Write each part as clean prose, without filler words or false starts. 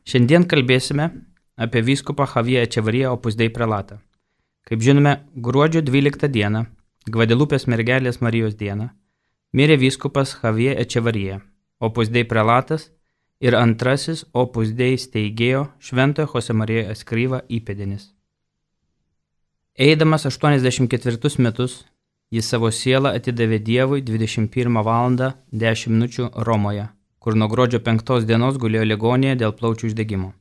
Šiandien kalbėsime apie vyskupą Javier Echevarría Opus Dei prelatą. Kaip žinome, gruodžio 12 dieną, Gvadelupės mergelės Marijos dieną, mirė vyskupas Javier Echevarría, Opus Dei prelatas ir antrasis Opus Dei steigėjo Šventojo Jose María Escrivá įpėdinis. Eidamas 84 metus, jis savo sielą atidavė Dievui 21 val. 10 min. Romoje, kur nuo gruodžio 5 dienos gulėjo ligoninėje dėl plaučių uždegimo.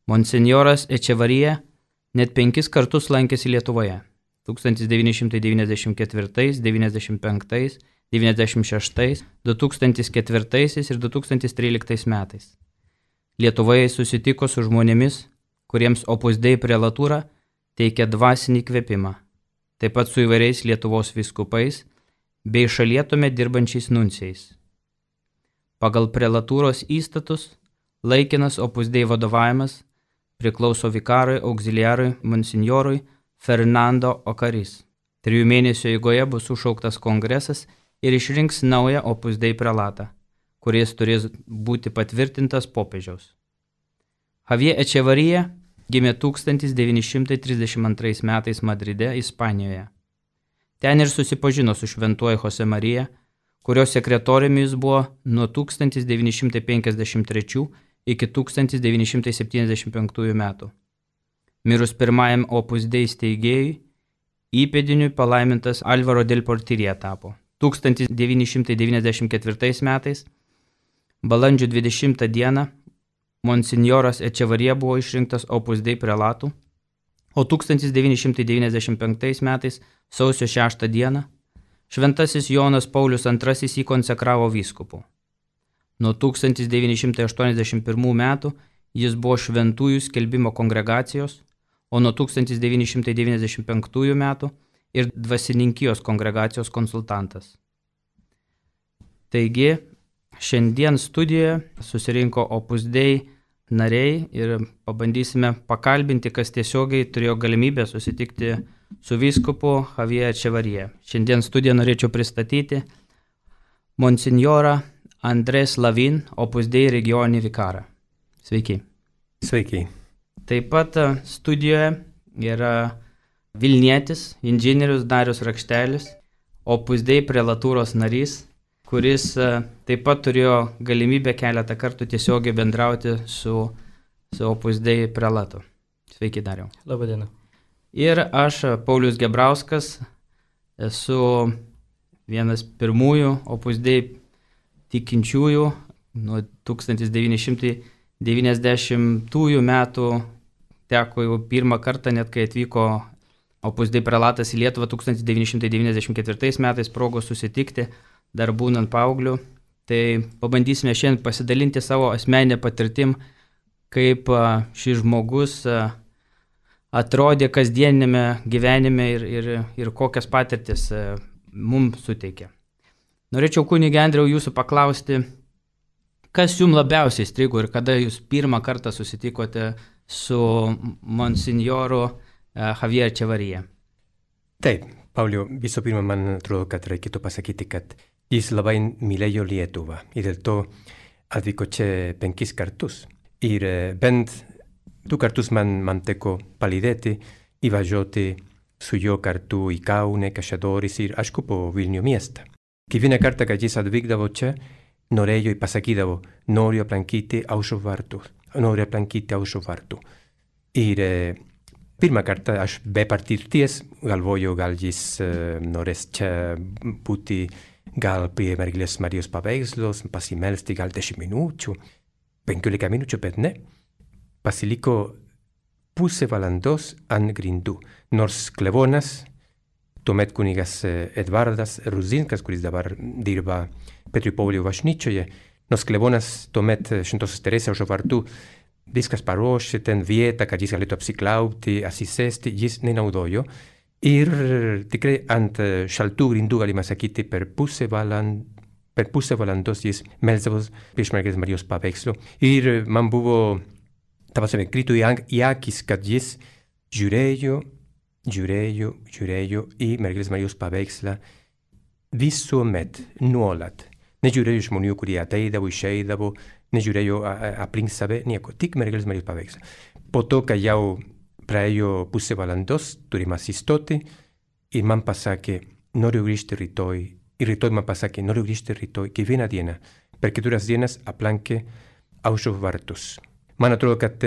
Monsinjoras Echevarría net 5 kartus lankėsi Lietuvoje – 1994, 95, 96, 2004 ir 2013 metais. Lietuvoje susitiko su žmonėmis, kuriems Opus Dei prelatūra teikia dvasinį kvėpimą, taip pat su įvairiais Lietuvos vyskupais bei šalyje tuomet dirbančiais nuncijais. Pagal prelatūros įstatus laikinas Opus Dei vadovavimas priklauso vikarui auxiliarui monsinjorui Fernando Ocaris. 3 mėnesių eigoje bus sušauktas kongresas ir išrinks naują Opus Dei prelatą, kuris turės būti patvirtintas popiežiaus. Javier Echevarría gimė 1932 metais Madride, Ispanijoje. Ten ir susipažino su šventuoju Jose Marija, kurio sekretoriumi jis buvo nuo 1953 iki 1975 metų. Mirus pirmajam Opus Dei steigėjui, įpėdiniui palaimintas Álvaro del Portiria tapo. 1994 metais, balandžio 20 dieną, monsinjoras Echevarría buvo išrinktas Opus Dei prelatu, o 1995 metais, sausio 6 dieną, šventasis Jonas Paulius II jį konsekravo vyskupu. Nuo 1981 metų jis buvo šventųjų skelbimo kongregacijos, o nuo 1995 metų ir dvasininkijos kongregacijos konsultantas. Taigi, šiandien studijoje susirinko Opus Dei nariai ir pabandysime pakalbinti, kas tiesiogiai turėjo galimybę susitikti su vyskupu Javier Echevarría. Šiandien studiją norėčiau pristatyti monsinjorą Andrés Lavin, Opus Dei regioninį vikarą. Sveiki. Sveiki. Taip pat studijoje yra Vilnietis, inžinierius Darius Rakštelis, Opus Dei prelatūros narys, kuris taip pat turėjo galimybę keletą kartų tiesiogiai bendrauti su Opus Dei prelatu. Sveiki, Dariau. Labadiena. Ir aš, Paulius Gebrauskas, esu vienas pirmųjų Opus Dei tikinčiųjų nuo 1990 metų. Teko jau pirmą kartą, net kai atvyko Opus Dei prelatas į Lietuvą 1994 metais progos susitikti, dar būnant paaugliu. Tai pabandysime šiandien pasidalinti savo asmeninę patirtim, kaip šis žmogus atrodė kasdienėme gyvenime ir kokias patirtis mums suteikė. Norėčiau, kunige Andriau, jūsų paklausti, kas jums labiausiai įstrigo ir kada jūs pirmą kartą susitikote su monsinjoru Javier Echevarría? Taip, Pauliau, visų pirma, man atrodo, kad reikėtų pasakyti, kad jis labai mylėjo Lietuvą ir dėl to atvyko čia 5 kartus. Ir bent 2 kartus man teko palydėti ir važiuoti su juo kartu į Kaune, Kaišiadorys ir aišku po Vilnių miestą. Kiekvieną kartą, kad jis atvykdavo čia, norėjo ir pasakydavo, noriu aplankyti Aušros vartų. Ir pirmą kartą aš be patirties galvoju, gal jis norės čia būti gal prie mergelės Marijos paveikslos, pasimelsti gal 10 minučių, 15 minučių, bet ne. Pasiliko pusę valandos ant grindų, nors klebonas, tuomet kunigas Edvardas Ruzinskas, kuris dabar dirba Petro ir Poviliaus bažnyčioje, nors klebonas tuomet Šventosios Teresės Aušros vartų viskas paruošė ten vietą, kad jis galėtų apsiklauti, atsisėsti, jis nenaudojo. Ir tikrai ant šaltų grindų, galima sakyti, per pusę valandos jis melsdavo prieš mergelės Marijos paveikslo. Ir man buvo, tapasime, krito į akis, kad jis žiūrėjo į mergelės Marijos paveikslą visuomet, nuolat. Nežiūrėjo žmonių, kurie ateidavo, išeidavo, nežiūrėjo aplink save nieko, tik mergelės Marijos paveikslą. Po to, kai jau praėjo pusė valandos, turime asistoti ir man pasakė, noriu grįžti rytoj. Ir rytoj man pasakė, noriu grįžti rytoj, kiekvieną dieną. Per 4 dienas aplankė aušros vartus. Man atrodo, kad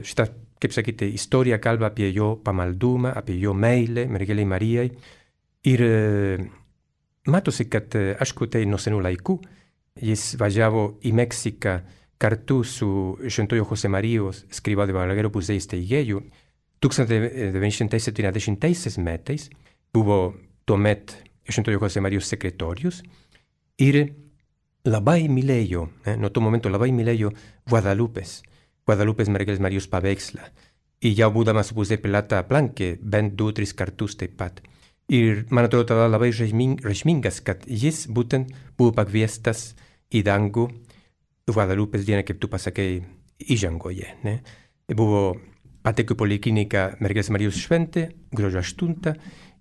šitą, kaip sakyti, istorija kalba apie jo pamaldumą, apie jo meilę mergelei Marijai. Ir matosi, kad aišku, tai nuo senų laikų. Jis važiavo į Meksiką kartu su Šventojo Jose Marijos Scrivao de Balaguer Opus Dei steigėju. 1970 metais buvo tuomet Šventojo Jose Marijos sekretorius ir labai mylėjo, nuo to momento labai mylėjo Guadalupes mergelės Marijos paveikslą. Ir jau būdamas Opus Dei Plata aplankė bent 2-3 kartus taip pat. Ir man atrodo tada labai reikšmingas, kad jis būtent buvo pakviestas į dangų Guadalupės dieną, kaip tu pasakei, įžangoje. Buvo patekų polikliniką mergelės Marijos šventė, gruodžio 8,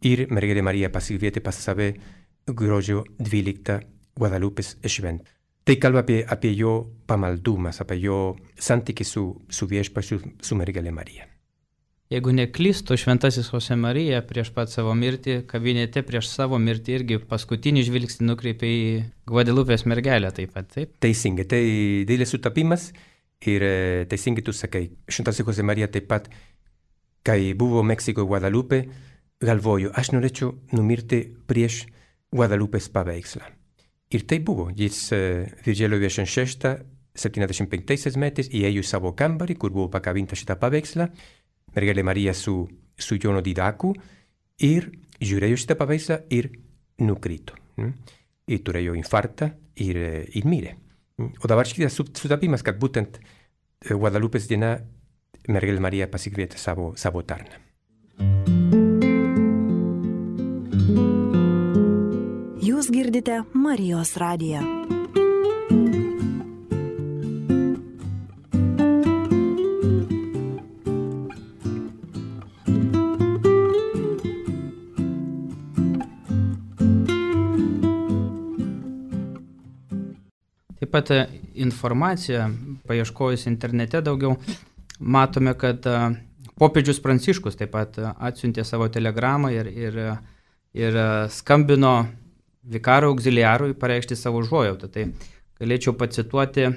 ir mergelė Marija pasikvietė pas save gruodžio 12 Guadalupės šventę. Tai kalba apie jo pamaldumas, apie jo santykį su viešpačiu, su mergelė Marija. Jeigu neklystu, šventasis Jose Marija prieš pat savo mirtį, kabinete prieš savo mirtį irgi paskutinį žvilgsnį nukreipė į Guadalupės mergelę taip pat, taip? Teisingai, tai didelis sutapimas ir teisingai tu sakai. Šventasis Jose Marija taip pat, kai buvo Meksiko Guadalupe, galvojo, aš norėčiau numirti prieš Guadalupės paveikslą. Ir tai buvo, jis Virželio 26, 75 metais įėjo į savo kambarį, kur buvo pakabinta šitą paveikslą, mergelė Marija su Jono Didaku, ir žiūrėjo šitą paveikslą ir nukrito. Ir turėjo infarktą ir mirė. O dabar šitas sutapimas, kad būtent Guadalupės diena mergelė Marija pasikvietė savo tarną. Jūs girdite Marijos radiją. Taip pat informacija, paieškojus internete daugiau, matome, kad popiežius Pranciškus taip pat atsiuntė savo telegramą ir skambino vikaro auxiliarui pareikšti savo užuojautą. Tai galėčiau pacituoti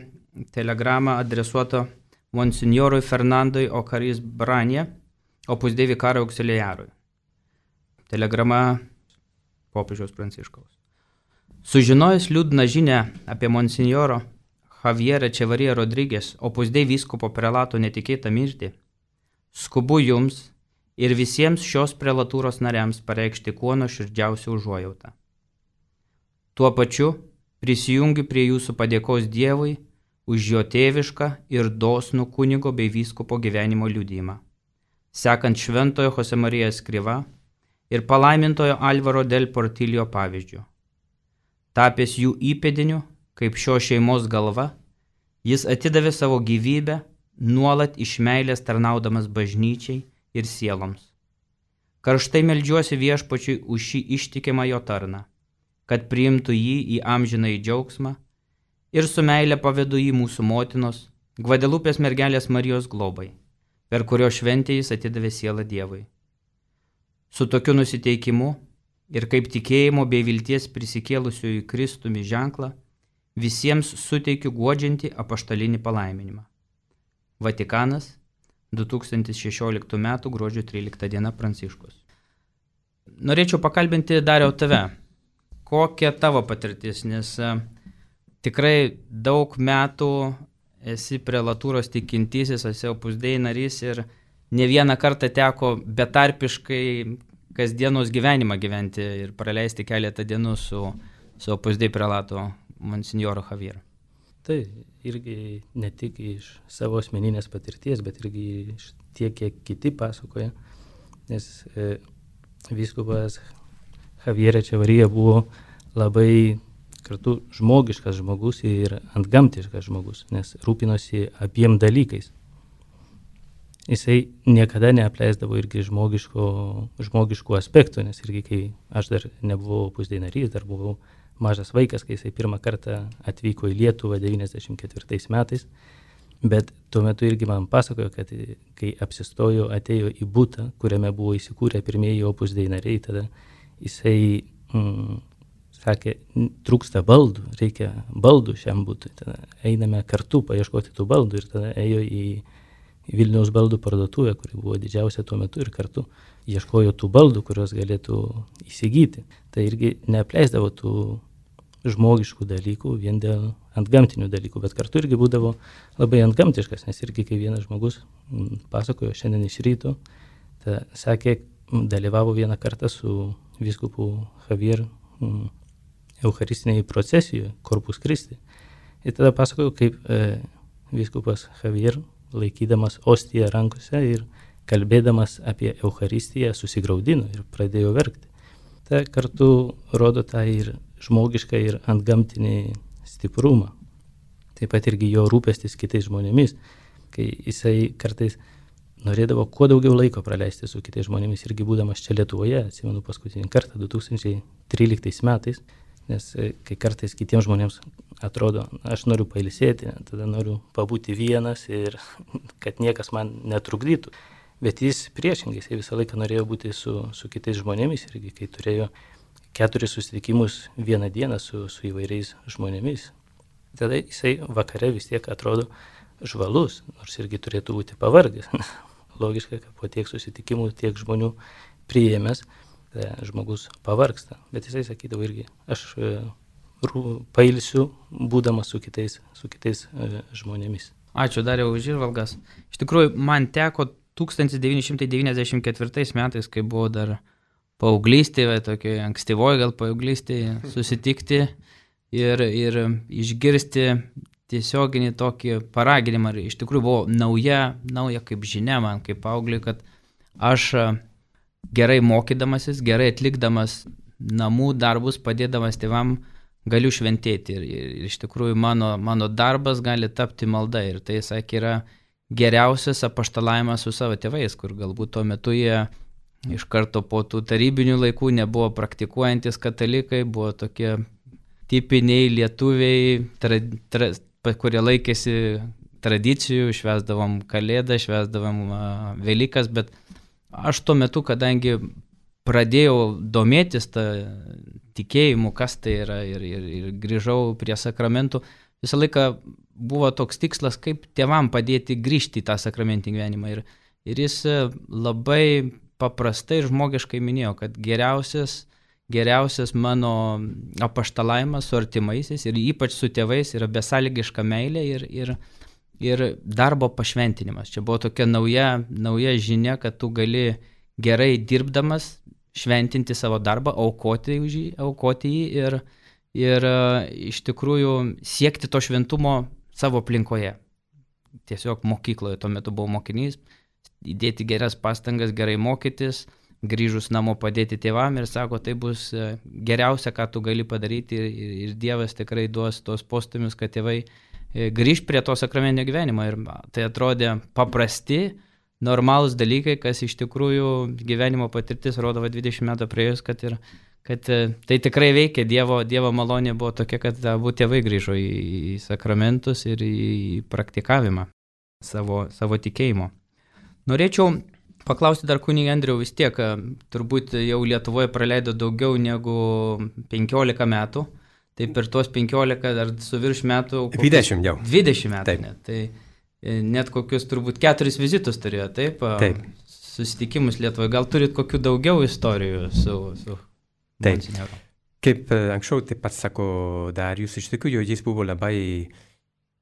telegramą adresuotą monsinjorui Fernandui Ocaris Branie, Opus Dei vikaro auxiliarui. Telegrama popiežiaus Pranciškaus. Sužinojęs liūdną žinią apie monsinjoro Javierą Čevariją Rodrigės, Opus Dei vyskupo prelato netikėtą mirtį, skubu jums ir visiems šios prelatūros nariams pareikšti kuo nuoširdžiausią užuojautą. Tuo pačiu prisijungiu prie jūsų padėkos Dievui už jo tėvišką ir dosnų kunigo bei vyskupo gyvenimo liudijimą, sekant šventojo Jose Marija Scrivao ir palaimintojo Alvaro del Portillo pavyzdžiu. Tapęs jų įpėdiniu, kaip šios šeimos galva, jis atidavė savo gyvybę, nuolat iš meilės tarnaudamas bažnyčiai ir sieloms. Karštai meldžiuosi viešpačiui už šį ištikimą jo tarną, kad priimtų jį į amžinąjį džiaugsmą ir su meile pavedu jį mūsų motinos, Gvadelupės mergelės Marijos globai, per kurio šventę jis atidavė sielą Dievui. Su tokiu nusiteikimu ir kaip tikėjimo bei vilties prisikėlusiųjų Kristumi ženklą, visiems suteikiu guodžiantį apaštalinį palaiminimą. Vatikanas, 2016 m. gruodžio 13 d. Pranciškus. Norėčiau pakalbinti, Dariau, tave. Kokia tavo patirtis, nes tikrai daug metų esi prelatūros tikintysis, esi Opus Dei narys ir ne vieną kartą teko betarpiškai kasdienos gyvenimą gyventi ir praleisti keletą dienų su Opus Dei prelato monsinjoru Javieru. Tai irgi ne tik iš savo asmeninės patirties, bet irgi iš tiek, kiek kiti pasakoja, nes vyskupas Javierė Čevarija buvo labai kartu žmogiškas žmogus ir antgamtiškas žmogus, nes rūpinosi abiem dalykais. Jisai niekada neapleisdavo irgi žmogiškų aspektų, nes irgi kai aš dar nebuvau Opus Dei narys, dar buvau mažas vaikas, kai jisai pirmą kartą atvyko į Lietuvą 94 metais. Bet tuo metu irgi man pasakojo, kad kai apsistojo, atėjo į butą, kuriame buvo įsikūrę pirmieji Opus Dei nariai, tada jisai sakė, trūksta baldų, reikia baldų šiam butui. Tada einame kartu paieškoti tų baldų ir tada ėjo į Vilniaus baldų parduotuvę, kuri buvo didžiausia tuo metu ir kartu ieškojo tų baldų, kurios galėtų įsigyti. Tai irgi neapleisdavo tų žmogiškų dalykų vien dėl antgamtinių dalykų, bet kartu irgi būdavo labai antgamtiškas, nes irgi kai vienas žmogus pasakojo šiandien iš ryto, sakė, dalyvavo vieną kartą su vyskupu Javier eucharistinėje procesijoje, Corpus Christi. Ir tada pasakojo, kaip vyskupas Javier, laikydamas ostiją rankose ir kalbėdamas apie Eucharistiją, susigraudino ir pradėjo verkti. Tai kartu rodo tą ir žmogišką ir antgamtinį stiprumą. Taip pat irgi jo rūpestis kitais žmonėmis, kai jisai kartais norėdavo kuo daugiau laiko praleisti su kitais žmonėmis, irgi būdamas čia Lietuvoje, atsimenu paskutinį kartą 2013 metais, nes kai kartais kitiems žmonėms atrodo, aš noriu pailsėti, tada noriu pabūti vienas ir kad niekas man netrukdytų. Bet jis priešingai, jis visą laiką norėjo būti su kitais žmonėmis irgi, kai turėjo 4 susitikimus vieną dieną su įvairiais žmonėmis. Tada jisai vakare vis tiek atrodo žvalus, nors irgi turėtų būti pavargęs. Logiška, kad po tiek susitikimų, tiek žmonių priėmęs, žmogus pavargsta. Bet jisai sakydavo irgi, aš pailsiu, būdamas su kitais žmonėmis. Ačiū Dariau už įžvalgas. Iš tikrųjų, man teko 1994 metais, kai buvo dar paauglystėje, tokioje ankstyvoje gal paauglystėje, susitikti ir išgirsti tiesioginį tokį paraginimą. Iš tikrųjų buvo nauja kaip žinia man, kaip paaugliui, kad aš gerai mokydamasis, gerai atlikdamas namų darbus, padėdamas tėvam, galiu šventėti. Ir iš tikrųjų mano darbas gali tapti malda. Ir tai, sakė, yra geriausias apaštalavimas su savo tėvais, kur galbūt tuo metu jie iš karto po tų tarybinių laikų nebuvo praktikuojantis katalikai, buvo tokie tipiniai lietuviai, kurie laikėsi tradicijų, švęsdavom Kalėdą, švęsdavom Velykas, bet aš tuo metu, kadangi pradėjau domėtis tą tikėjimu, kas tai yra ir grįžau prie sakramentų, visą laiką buvo toks tikslas, kaip tėvam padėti grįžti į tą sakramentinį gyvenimą. Ir jis labai paprastai ir žmogiškai minėjo, kad geriausias mano apaštalavimas su artimaisiais ir ypač su tėvais yra besąlygiška meilė ir darbo pašventinimas. Čia buvo tokia nauja žinia, kad tu gali gerai dirbdamas šventinti savo darbą, aukoti jį ir iš tikrųjų siekti to šventumo savo aplinkoje. Tiesiog mokykloje, tuo metu buvau mokinys, įdėti geras pastangas, gerai mokytis, grįžus namo padėti tėvam ir sako, tai bus geriausia, ką tu gali padaryti ir Dievas tikrai duos tos postūmius, kad tėvai grįž prie to sakramentinio gyvenimo. Ir tai atrodė paprasti, normalūs dalykai, kas iš tikrųjų gyvenimo patirtis rodo 20 metų praėjus, kad tai tikrai veikia, Dievo malonė buvo tokia, kad abu tėvai grįžo į sakramentus ir į praktikavimą savo tikėjimo. Norėčiau paklausti dar kunigą Andriau, vis tiek, turbūt jau Lietuvoje praleido daugiau negu 15 metų, tai per tuos 15 dar su virš metų... 20 jau. 20 metų Taip. net, tai net kokius turbūt 4 vizitus turėjo, taip? Taip. Susitikimus Lietuvoje, gal turit kokių daugiau istorijų su Taip. monsinjoru? Kaip anksčiau taip pat sako Darius, iš tikrųjų jis buvo labai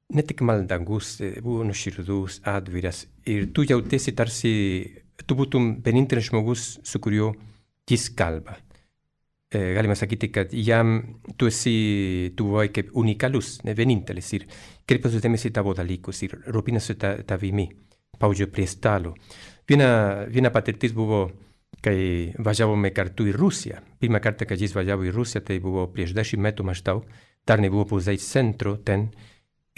ne tik maldangus, buvo nuoširdus, atviras ir tu jautėsi tarsi, tu būtum vienintelis žmogus, su kuriuo jis kalba. Galima sakyti, kad jam tu buvai kaip unikalus, ne vienintelis ir kreipėsi dėmesį tavo dalykus ir rūpinasi tavimi, pavyzdžiui, prie stalo. Viena patirtis buvo, kai važiavome kartu į Rusiją. Pirmą kartą, kai jis važiavo į Rusiją, tai buvo prieš 10 metų maždaug, dar nebuvo pusės centro ten.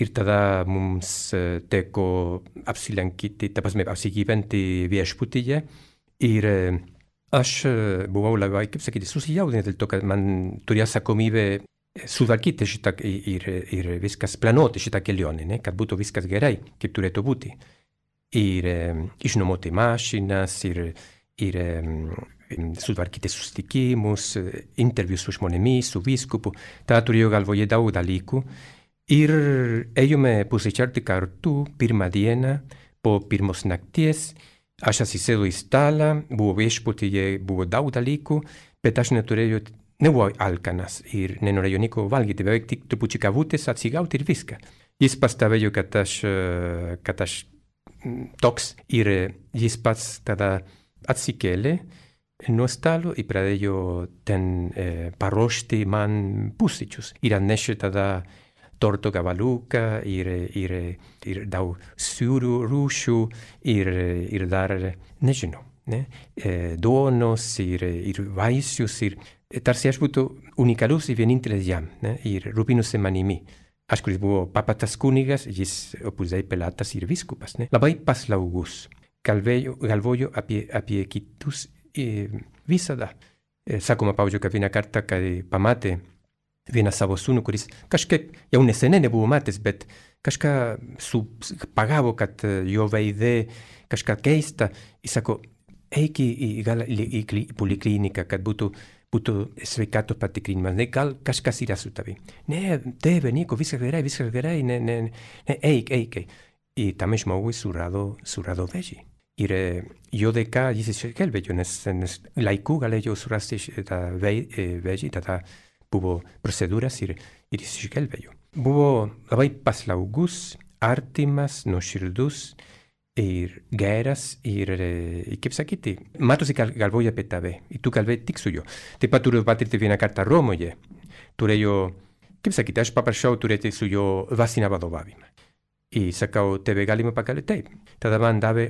Ir tada mums teko apsigyventi viešbutyje. Ir aš buvau labai, kaip sakyti, susijaudinęs dėl to, kad man turėjo atsakomybę sutvarkyti šitą ir viskas planuoti šitą kelionę, ne? Kad būtų viskas gerai, kaip turėtų būti. Ir išnuomoti mašinas, ir sutvarkyti susitikimus, intervius su žmonėmis, su vyskupu. Tā turėjo galvoje daug dalykų. Ir ėjome pusryčiauti kartu pirmą dieną po pirmos nakties. Aš atsisėdau į stalą, buvo viešbutyje, buvo daug dalykų, bet aš nebuvau alkanas ir nenorėjau nieko valgyti, beveik tik trupučiu kavutės atsigauti ir viską. Jis pastebėjo, kad aš toks ir jis pats tada atsikėlė nuo stalo ir pradėjo ten paruošti man pusryčius. Ir atnešė tada torto gabaliuką ir daug sūrių rūšių ir dar, nežinau, ne? Duonos ir vaisius ir tarsi aš būtų unikalus ir vienintelis jam, ne? Ir rūpinosi manimi. Aš, kuris buvo papatas kunigas, jis opusdei pelatas ir vyskupas, ne? Labai paslaugus. Galvoju apie kitus visada. Sakoma, pavyzdžiui, kad vieną kartą, kai pamatė vieną savo sūnų, kuris kažkaip jau neseniai nebuvo matęs, bet kažką pagavo, kad jo veide kažką keista. Jis sako, eik į polikliniką, kad būtų sveikatos patikrinimas. Ne, gal kažkas yra su tavi. Ne, tėve, nieko, viskas gerai, ne, eik. Ir tam žmogui surado vėžį. Ir jo dėka jis išgelbėjo, nes laiku galėjo surasti tą vėžį, tada buvo procedūras ir jis išgelbėjo. Buvo labai paslaugus, artimas, nuoširdus ir geras ir kaip sakyti, matosi, galvoja apie tave ir tu kalbėjai tik su juo. Taip pat turiu patirti vieną kartą Romoje. Turėjau, kaip sakyti, aš paprašiau turėti su juo dvasinę vadovavimą. Ir sakau, tėve, galime pakalbėti? Taip. Tada man davė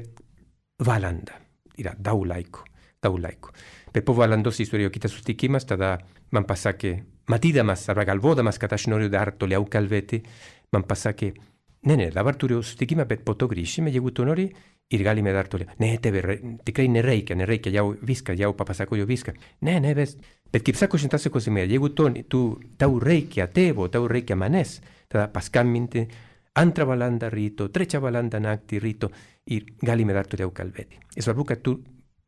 valandą. Yra daug laiko. Bet po valandos jis turėjo kitas susitikimas, tada man pasakė, matydamas arba galvodamas, kad aš noriu dar toliau kalbėti, man pasakė, ne, dabar turiu susitikimą, bet po to grįšime, jeigu tu nori, ir galime dar toliau. Ne, tėve, tikrai nereikia, jau viską, jau papasakoju viską. Ne, bet kaip sako Šventasis Kazimieras, jeigu tau reikia tėvo, tau reikia manęs, tada paskambinti 2 valandą ryto, 3 valandą naktį ryto, ir galime dar toliau kalbėti. Svarbu, kad tu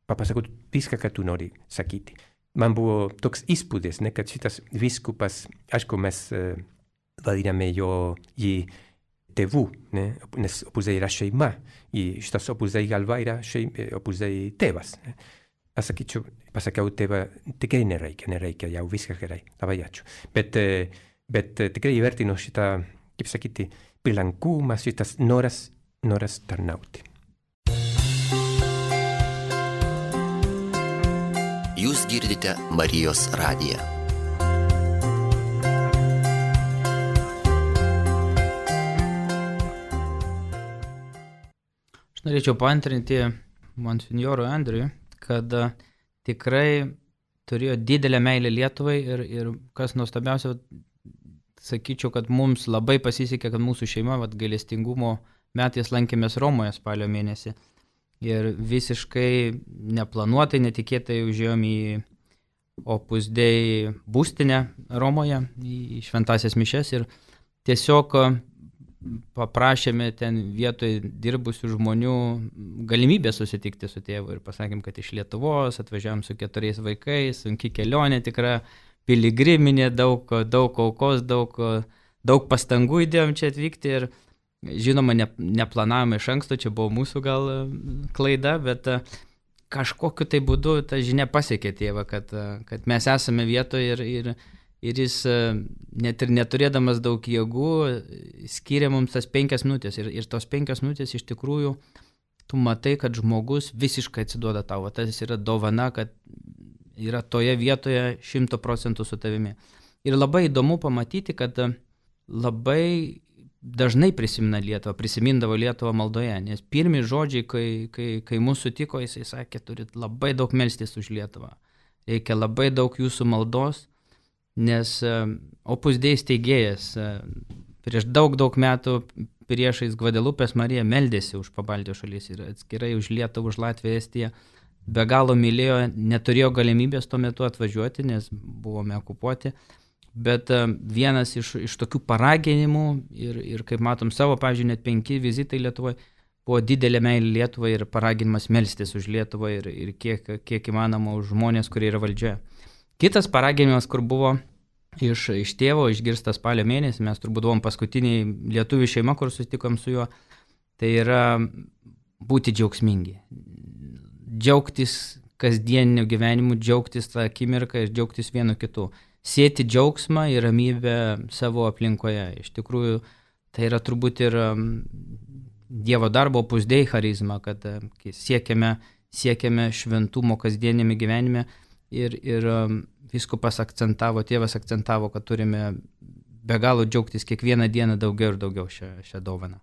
papasakotu viską, ką tu nori sakyti. Man buvo toks įspūdis, ne, kad šitas vyskupas, aišku, mes vadiname jį tėvų, ne, nes Opus Dei yra šeima, ir šitas Opus Dei galva yra Opus Dei tėvas. Ne. Pasakiau, tėva, tikrai nereikia, jau viskas gerai, labai ačiū. Bet tikrai įvertino šitą, kaip sakyti, pilankumas, šitas noras tarnauti. Jūs girdite Marijos radiją. Aš norėčiau paantrinti monsinjorui Andriui, kad tikrai turėjo didelę meilę Lietuvai ir kas nuostabiausia, sakyčiau, kad mums labai pasisekė, kad mūsų šeima gailestingumo metais lankėmės Romoje spalio mėnesį. Ir visiškai neplanuotai, netikėtai užėjom į Opus Dei būstinę Romoje, į šventasias mišias ir tiesiog paprašėme ten vietoj dirbusių žmonių galimybę susitikti su tėvu ir pasakėm, kad iš Lietuvos atvažiavom su 4 vaikais, sunki kelionė, tikra piligriminė, daug aukos, daug pastangų įdėjom čia atvykti ir žinoma, neplanavome iš anksto, čia buvo mūsų gal klaida, bet kažkokiu tai būdu ta žinia pasiekė tėvą, kad mes esame vietoje ir jis net ir neturėdamas daug jėgų skyrė mums tas 5 minutės ir tos 5 minutės iš tikrųjų tu matai, kad žmogus visiškai atsiduoda tau, tas yra dovana, kad yra toje vietoje 100% su tavimi. Ir labai įdomu pamatyti, kad labai dažnai prisimindavo Lietuvą maldoje, nes pirmi žodžiai, kai mūsų sutiko, jisai sakė, turit labai daug melstis už Lietuvą. Reikia labai daug jūsų maldos, nes Opus Dei steigėjas prieš daug metų priešais Gvadelupės Mariją meldėsi už Pabaltijos šalis ir atskirai už Lietuvą, už Latviją, Estiją. Be galo mylėjo, neturėjo galimybės tuo metu atvažiuoti, nes buvome okupuoti. Bet vienas iš tokių paraginimų ir kaip matom savo, pavyzdžiui, net 5 vizitai Lietuvoje, buvo didelė meilė Lietuvai ir paraginimas melstis už Lietuvą ir kiek įmanoma už žmonės, kurie yra valdžioje. Kitas paraginimas, kur buvo iš tėvo, išgirstas spalio mėnesį, mes turbūt buvom paskutiniai lietuvių šeima, kur susitikom su juo, tai yra būti džiaugsmingi. Džiaugtis kasdieniniu gyvenimu, džiaugtis tą akimirką ir džiaugtis vienu kitu. Sėti džiaugsmą ir ramybę savo aplinkoje. Iš tikrųjų, tai yra turbūt ir Dievo darbo Opus Dei charizma, kad siekiame šventumo kasdienėme gyvenime ir vyskupas tėvas akcentavo, kad turime be galo džiaugtis kiekvieną dieną daugiau ir daugiau šią dovaną.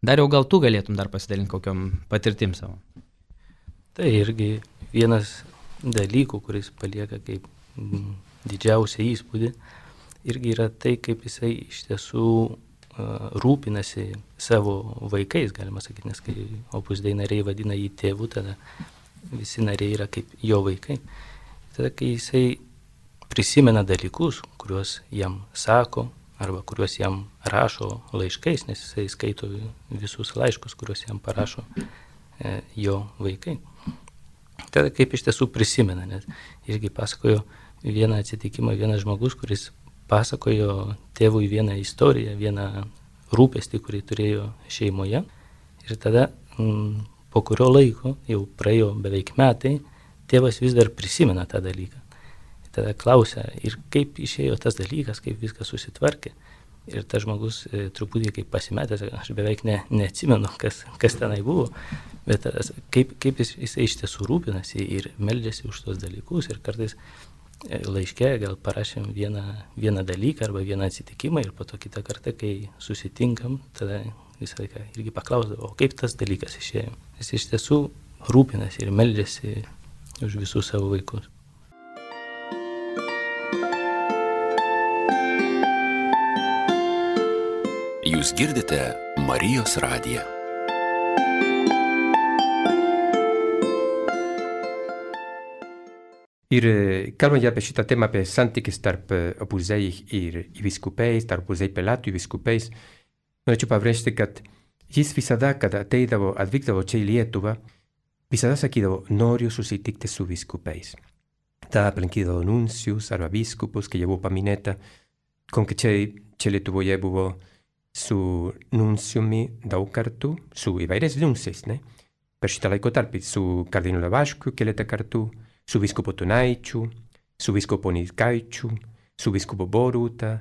Dariau, gal tu galėtum dar pasidalinti kokiom patirtim savo? Tai irgi vienas dalykų, kuris palieka kaip didžiausią įspūdį, irgi yra tai, kaip jisai iš tiesų rūpinasi savo vaikais, galima sakyti, nes kai Opus Dei nariai vadina jį tėvu, tada visi nariai yra kaip jo vaikai. Tada, kai jisai prisimena dalykus, kuriuos jam sako, arba kuriuos jam rašo laiškais, nes jisai skaito visus laiškus, kuriuos jam parašo jo vaikai. Tada kaip iš tiesų prisimena, nes irgi pasakojo vieną atsitikimą, vienas žmogus, kuris pasakojo tėvui vieną istoriją, vieną rūpestį, kurį turėjo šeimoje. Ir tada po kurio laiko, jau praėjo beveik metai, tėvas vis dar prisimena tą dalyką. Ir tada klausia, ir kaip išėjo tas dalykas, kaip viskas susitvarkė. Ir tas žmogus truputį kaip pasimetęs, aš beveik neatsimenu, kas tenai buvo, bet kaip jisai iš tiesų rūpinasi ir meldžiasi už tos dalykus. Ir kartais laiške gal parašėm vieną dalyką arba vieną atsitikimą ir po to kitą kartą, kai susitinkam, tada visą laiką irgi paklausdavo, o kaip tas dalykas išėjo. Jis iš tiesų rūpinasi ir meldžiasi už visus savo vaikus. Jūs girdite Marijos radiją. Ir kalbant apie šitą temą, apie santykis tarp Opus Dei ir vyskupais, tarp Opus Dei pelatų ir vyskupais, norėčiau pabrėžti, kad jis visada, kad atvykdavo čia į Lietuvą, visada sakydavo, noriu susitikti su vyskupais. Tada aplankydavo nuncius arba vyskupus, kai jau buvo paminėta, konkrečiai čia Lietuvoje buvo su nunciumi daug kartų, su įvairiais nunciais, ne? Per šitą laikotarpį, su kardinolu Vaškiu keletą kartų, su vyskupu Tunaičiu, su vyskupu Nitkaičiu, su vyskupu Boruta,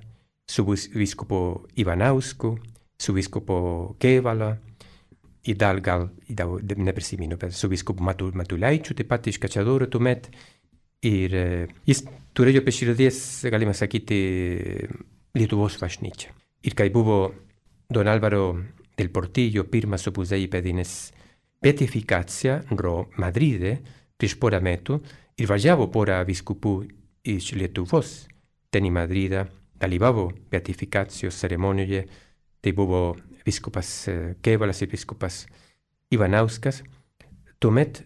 su vyskupu Ivanausku, su vyskupu Kevala, ir gal neprisimenu, bet su vyskupu Matulaičiu, taip pat iš Kaišiadorių tuomet. Ir jis turėjo per širdies, galima sakyti, Lietuvos bažnyčią. Ir kai buvo Don Álvaro del Portillo pirmas Opus Dei įpėdinis beatifikacija Madride, prieš porą metų, ir važiavo porą vyskupų iš Lietuvos ten į Madridą, dalyvavo beatifikacijos ceremonijoje, tai buvo vyskupas Kevalas ir vyskupas Ivanauskas. Tuomet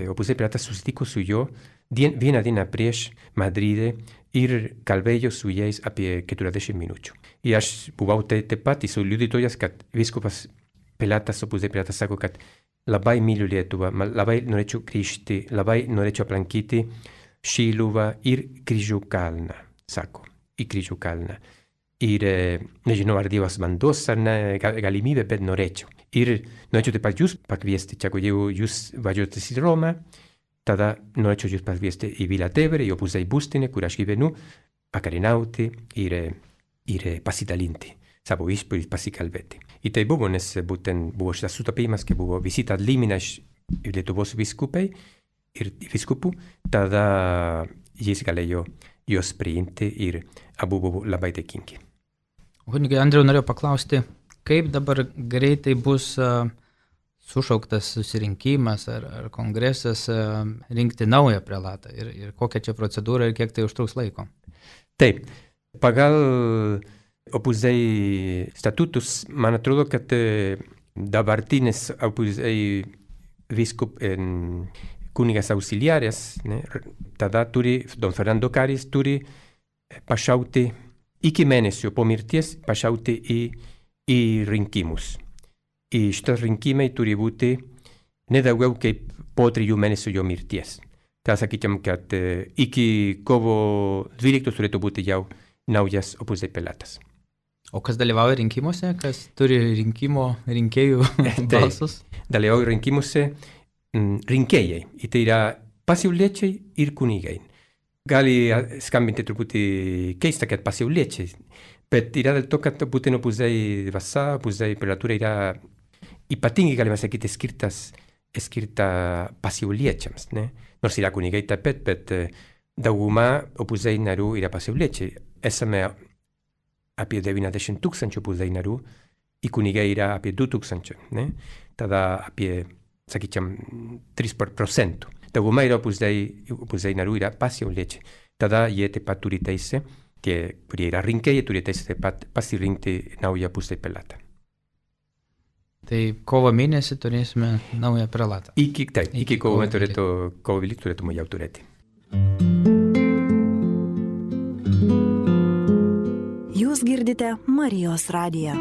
Opus Dei pelatas susitiko su juo vieną dieną prieš Madride ir kalbėjo su jais apie 40 minučių. Ir aš buvau taip pat su liudytojas, kad vyskupas pelatas, Opus Dei pelatas sako, kad labai myliu Lietuvą, labai norėčiau grįžti, labai norėčiau aplankyti Šiluvą ir Kryžių kalną, sako, į Kryžių kalną. Ir nežinau, ar Dievas man duos ar ne galimybę, bet norėčiau. Ir norėčiau taip pat jūs pakviesti, čia, jeigu jūs važiuojate į Romą, tada norėčiau jūs pakviesti į Vilatevere, į Opus Dei būstinę, kur aš gyvenu, pakarinauti ir pasidalinti savo įspūdį ir pasikalbėti. Ir tai buvo, nes būtent buvo šitas sutapimas, kai buvo vizita atlimina iš Lietuvos vyskupai ir vyskupų, tada jis galėjo juos priimti ir abu buvo labai dėkingi. Kunigai Andriau, norėjau paklausti, kaip dabar greitai bus sušauktas susirinkimas ar kongresas rinkti naują prelatą ir kokia čia procedūra ir kiek tai užtruks laiko? Taip, pagal Opus Dei statutus, man atrodo, kad dabartinis Opus Dei kunigas auxiliares, ne? Tada turi, Don Fernando Caris turi pašaukti iki mėnesio po mirties, pašaukti į rinkimus. Ir šitas rinkimai turi būti ne daugiau kaip po 3 mėnesių jo mirties. Tai sakytum, kad iki kovo 12 turėtų būti jau naujas Opus Dei prelatas. O kas dalyvauja rinkimuose, kas turi rinkėjų balsus? Dalyvauja rinkimuose rinkėjai. Ir tai yra pasauliečiai ir kunigai. Gali skambinti truputį keista, kad pasauliečiai, bet yra dėl to, kad būtent Opus Dei dvasia, Opus Dei prelatura yra ypatingai, galima sakyti, skirta pasauliečiams, ne? Nors yra kunigai taip pat, bet dauguma Opus Dei narių yra pasauliečiai. Esame apie 90,000 Opus Dei narių, ir kunigai yra apie 2,000, ne? Tada apie, sakyčiam, 3%. Dauguma yra Opus Dei narių yra pasauliečiai. Tada jie taip pat turi teisę, tie, kurie yra rinkėjai, turi teisę taip pat pasirinkti naują Opus Dei prelatą. Tai kovo mėnesį turėsime naują prelatą. Iki kovo 12 turėtume jau turėti. Jūs girdite Marijos radiją.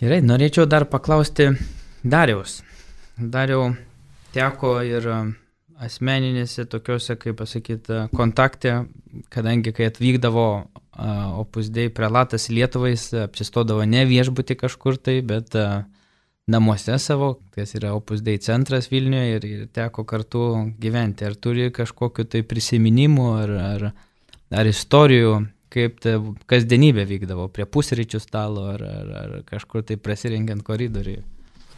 Gerai, norėčiau dar paklausti Dariaus. Dariau, teko ir asmeninėse tokiuose, kaip pasakyti, kontakte, kadangi kai atvykdavo Opus Dei prelatas Lietuvai, jis apsistodavo ne viešbutį kažkur tai, bet namuose savo, kas yra Opus Dei centras Vilniuje ir teko kartu gyventi. Ar turi kažkokiu tai prisiminimu ar istorijų, kaip ta kasdienybė vykdavo prie pusryčių stalo ar kažkur tai prasirengiant koridoriui?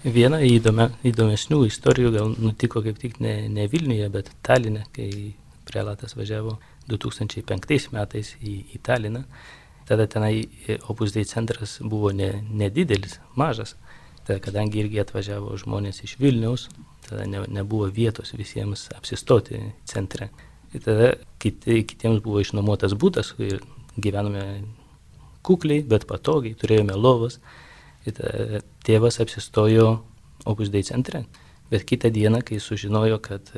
Viena įdomesnių istorijų gal nutiko kaip tik ne Vilniuje, bet Taline, kai prelatas važiavo 2005 metais į Taliną. Tada tenai Opus Dei centras buvo nedidelis, mažas. Tada, kadangi irgi atvažiavo žmonės iš Vilniaus, tada nebuvo vietos visiems apsistoti centre. Ir tada kitiems buvo išnuomotas būtas ir gyvenome kukliai, bet patogiai, turėjome lovas. Ir tėvas apsistojo Opus Dei centre. Bet kitą dieną, kai sužinojo, kad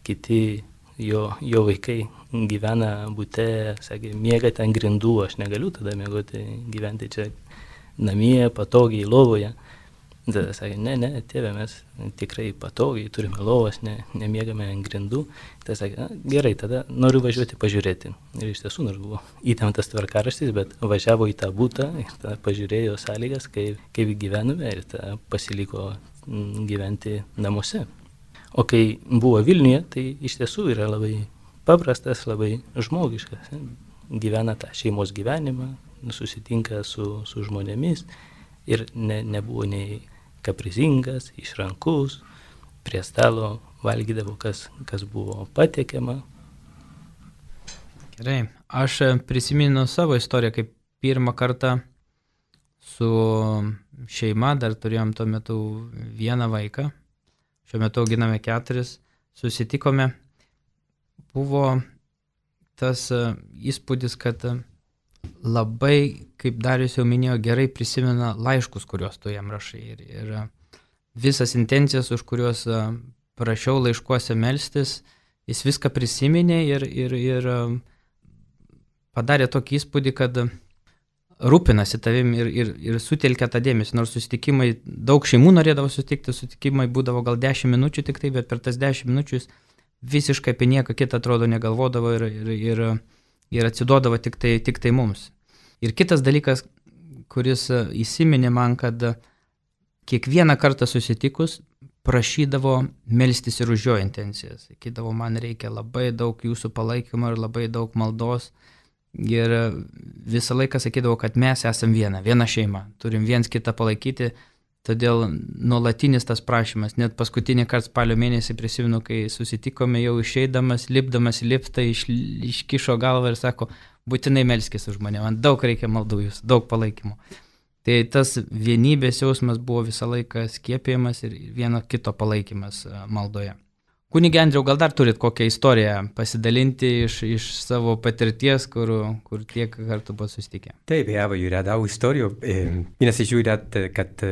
kiti jo vaikai gyvena bute, sakė, miegate ant grindų, aš negaliu tada gyventi čia namie, patogiai, lovoje. Tada sakė, ne, tėve, mes tikrai patogiai, turime lovas, nemiegame ant grindų. Tada sakė, gerai, tada noriu važiuoti pažiūrėti. Ir iš tiesų, nors buvo įtemptas tvarkaraštis, bet važiavo į tą butą ir tada pažiūrėjo sąlygas, kaip gyvename ir tada pasiliko gyventi namuose. O kai buvo Vilniuje, tai iš tiesų yra labai paprastas, labai žmogiškas. Gyvena tą šeimos gyvenimą, susitinka su žmonėmis ir nebuvo nei kaprizingas, išrankus, prie stalo valgydavo, kas buvo patiekiama. Gerai, aš prisimenu savo istoriją, kaip pirmą kartą su šeima, dar turėjom tuo metu vieną vaiką, šiuo metu auginame 4, susitikome, buvo tas įspūdis, kad labai, kaip Darius jau minėjo, gerai prisimena laiškus, kuriuos tu jam rašai. Ir visas intencijas, už kuriuos prašiau laiškuose melstis, jis viską prisiminė ir padarė tokį įspūdį, kad rūpinasi tavim ir sutelkia tą dėmesį. Nors susitikimai, daug šeimų norėdavo susitikti, susitikimai būdavo gal 10 minučių tik tai, bet per tas 10 minučių jis visiškai apie nieką kitą atrodo negalvodavo ir atsiduodavo tik tai mums. Ir kitas dalykas, kuris įsiminė man, kad kiekvieną kartą susitikus prašydavo melstis ir už jo intencijas. Sakydavo, man reikia labai daug jūsų palaikymo ir labai daug maldos. Ir visą laiką sakydavo, kad mes esam viena šeima, turim viens kitą palaikyti. Todėl nuolatinis tas prašymas, net paskutinį kartą spalio mėnesį prisimenu, kai susitikome jau išeidamas, lipdamas į liftą, iškišo galvą ir sako, būtinai melskis už mane, man daug reikia maldų jūs, daug palaikymo. Tai tas vienybės jausmas buvo visą laiką skiepijamas ir vieno kito palaikymas maldoje. Kunige Andriau, gal dar turit kokią istoriją pasidalinti iš savo patirties, kur tiek kartų buvo susitikę? Taip, be abejo, yra daug istorijų. Vienas iš jų yra, kad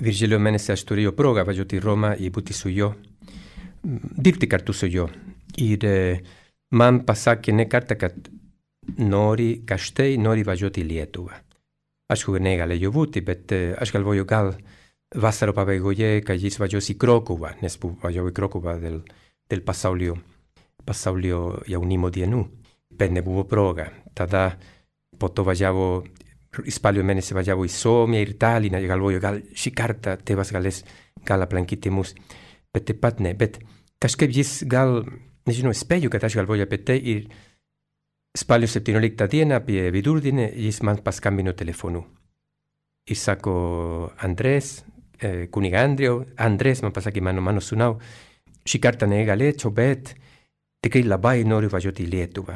Virgilio mėnesį aš turėjau progą važiuoti į Romą ir būti su juo, dirbti kartu su juo. Ir man pasakė ne kartą, kad nori važiuoti į Lietuvą. Aišku, negalėjau būti, bet aš galvoju, gal vasaro pabaigoje, kad jis važiuos į Krokuvą, nes važiavo į Krokuvą del pasaulio jaunimo dienų, bet nebuvo proga. Tada po to važiavo, spalio mėnesį važiavo į Suomiją ir Talliną, galvoju, gal šį kartą tėvas galės gal aplankyti mus, bet taip pat ne. Bet kažkaip jis gal, nežinau, spėju, kad aš galvoju apie tai ir spalio 17 dieną apie vidurdienį jis man paskambino telefonu. Ir sako, Andrės, kuniga Andrės man pasakė, mano sūnau, šį kartą negalėčiau, bet tikrai labai noriu važiuoti į Lietuvą.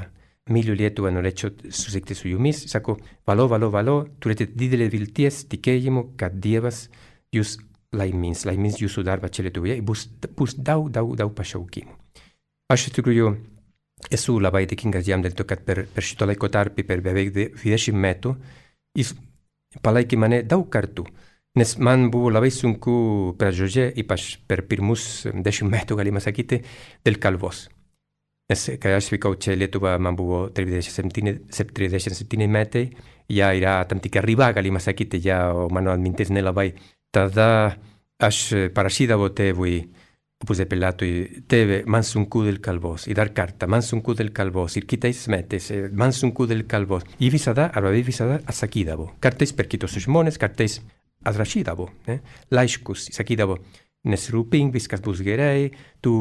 Myliu Lietuvą, norėčiau susitikti su jumis. Sako, valio, turite didelę vilties tikėjimo, kad Dievas jūs laimins jūsų darbą čia Lietuvoje ir bus daug pašaukimų. Aš iš tikrųjų esu labai dėkingas jam dėl to, kad per šito laiko tarpį, per beveik 20 metų, jis palaikė mane daug kartų. Nes man buvo labai sunku pradžioje, ypač per pirmus 10 metų, galima sakyti, dėl kalbos. Nes kai aš vykau čia Lietuvą, man buvo 37 metai, ja yra tam tikra riba, galima sakyti, ja mano atmintis nelabai. Tada aš parašydavau tėvui, Opus Dei Pilatui, tėve, man sunku dėl kalbos, ir dar kartą, man sunku dėl kalbos, ir kitais metais, man sunku dėl kalbos. I visada atsakydavo. Kartais per kitus žmonės, kartais atrašydavo, laiškus, sakydavo, nesirūpink, viskas bus gerai, tu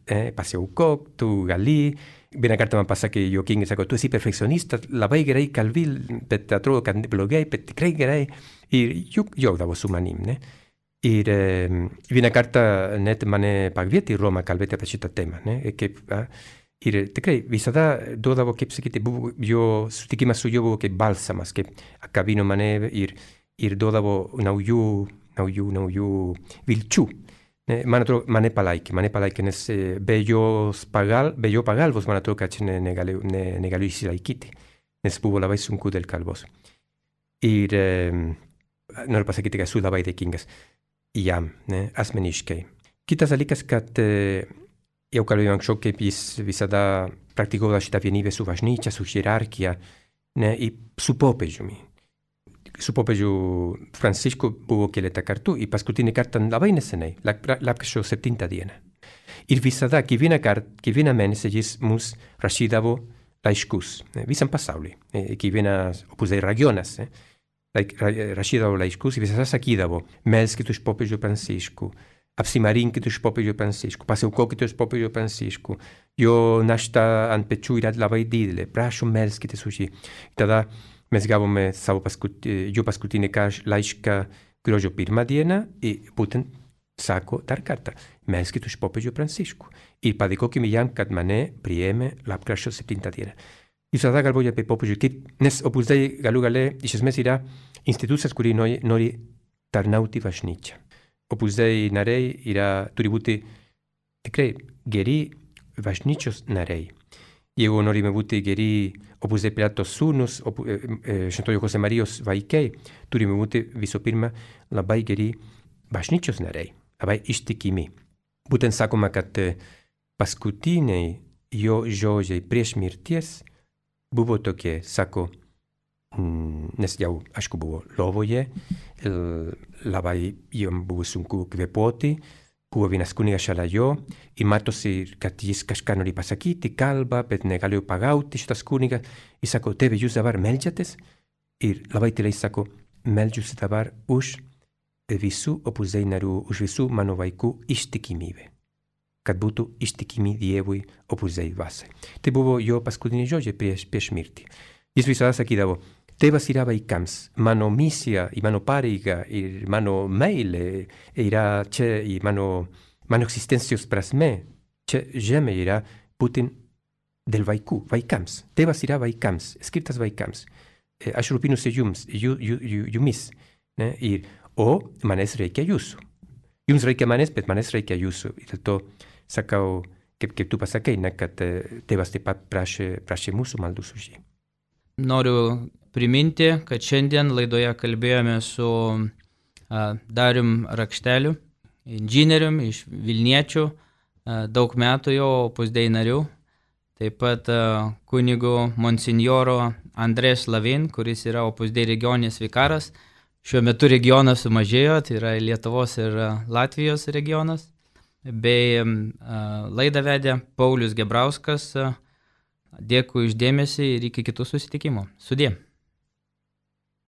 pasiaukok, tu gali. Vieną kartą man pasakė Joaquín, sako, tu esi perfekcionista, labai gerai kalbi, bet atrodo, kad blogai, bet tikrai gerai. Ir juokdavo su manim, ne? Ir vieną kartą net mane pakvietė į Romą kalbėti apie šitą temą, ne? Ir tikrai visada duodavo, kaip sakyti, jo sutikimas su juo buvo kaip balsamas, kaip akabino mane ir duodavo naujų vilčių. Man atrodo, mane palaikė, nes be jo pagalbos, man atrodo, kad negaliu išsilaikyti, nes buvo labai sunku dėl kalbos. Ir noriu pasakyti, kad esu labai dėkingas jam, asmeniškai. Kitas dalykas, kad jau kalbėjau anksčiau, kaip jis visada praktikuoja šitą vienybę su bažnyčia, su hierarchija, ir su popiežiumi. Su popiežiu Francisku buvo keletą kartų ir paskutinį kartą labai neseniai, lapkričio 7 dieną. Ir visada, kiekvieną mėnesį jis mums rašydavo laiškus visam pasauliui, kiekvienas Opus Dei regionas, rašydavo laiškus ir visada sakydavo, melskit už popiežių Pranciškų, apsimarinkit už popiežių Pranciškų, pasiaukokit už popiežių Pranciškų, jo našta ant pečių yra labai didelė, prašom melskitės už jį. Tada mes gavome jo paskutinį laišką gruodžio 1 dieną ir būtent sako dar kartą, melskit už popiežių Pranciškų ir padėkokime jam, kad mane priėmė lapkričio 7 dieną. Visada galvoju apie popiežių, nes Opus Dei galų gale iš esmės yra institucijas, kuri nori tarnauti bažnyčią. Opus Dei nariai turi būti tikrai geri bažnyčios nariai. Jeigu norime būti geri Opus Dei Pilato sūnus, Šventojo Jose Marijos vaikai, turime būti visų pirma labai geri bažnyčios nariai, labai ištikimi. Būtent sakoma, kad paskutiniai jo žodžiai prieš mirties buvo tokie, sako, nes jau, aišku, buvo lovoje, labai jam buvo sunku kvėpuoti, buvo vienas kunigas šalia jo ir matosi, kad jis kažką nori pasakyti, kalba, bet negalėjo pagauti šitas kunigas. Ir sako, tėve, jūs dabar meldžiatės? Ir labai tyliai sako, meldžiuosi dabar už visų Opus Dei narių, už visų mano vaikų ištikimybę. Kad būtų ištikimi Dievui Opus Dei dvasiai. Tai buvo jo paskutiniai žodžiai prieš mirtį. Jis visada sakydavo, tėvas yra vaikams, mano misija ir mano pareiga ir mano meilė yra čia ir mano egzistencijos prasme čia žemė yra būtent dėl vaikams. Tėvas yra vaikams, skirtas vaikams. Aš rūpinuosi jumis, o manęs reikia jūsų. jums reikia manęs, bet manęs reikia jūsų. Ir dėl to sakau, kaip tu pasakai, ne, kad tėvas taip pat prašė mūsų maldus už jį. Noriu priminti, kad šiandien laidoje kalbėjome su Darium Rakšteliu, inžinierium iš Vilniečių, daug metų jo Opus Dei nariu, taip pat kunigu monsinjoro Andrės Lavin, kuris yra Opus Dei regioninis vikaras. Šiuo metu regionas sumažėjo, tai yra Lietuvos ir Latvijos regionas. Bei laidą vedė Paulius Gebrauskas. Dėkui už dėmesį ir iki kitų susitikimų. Sudie.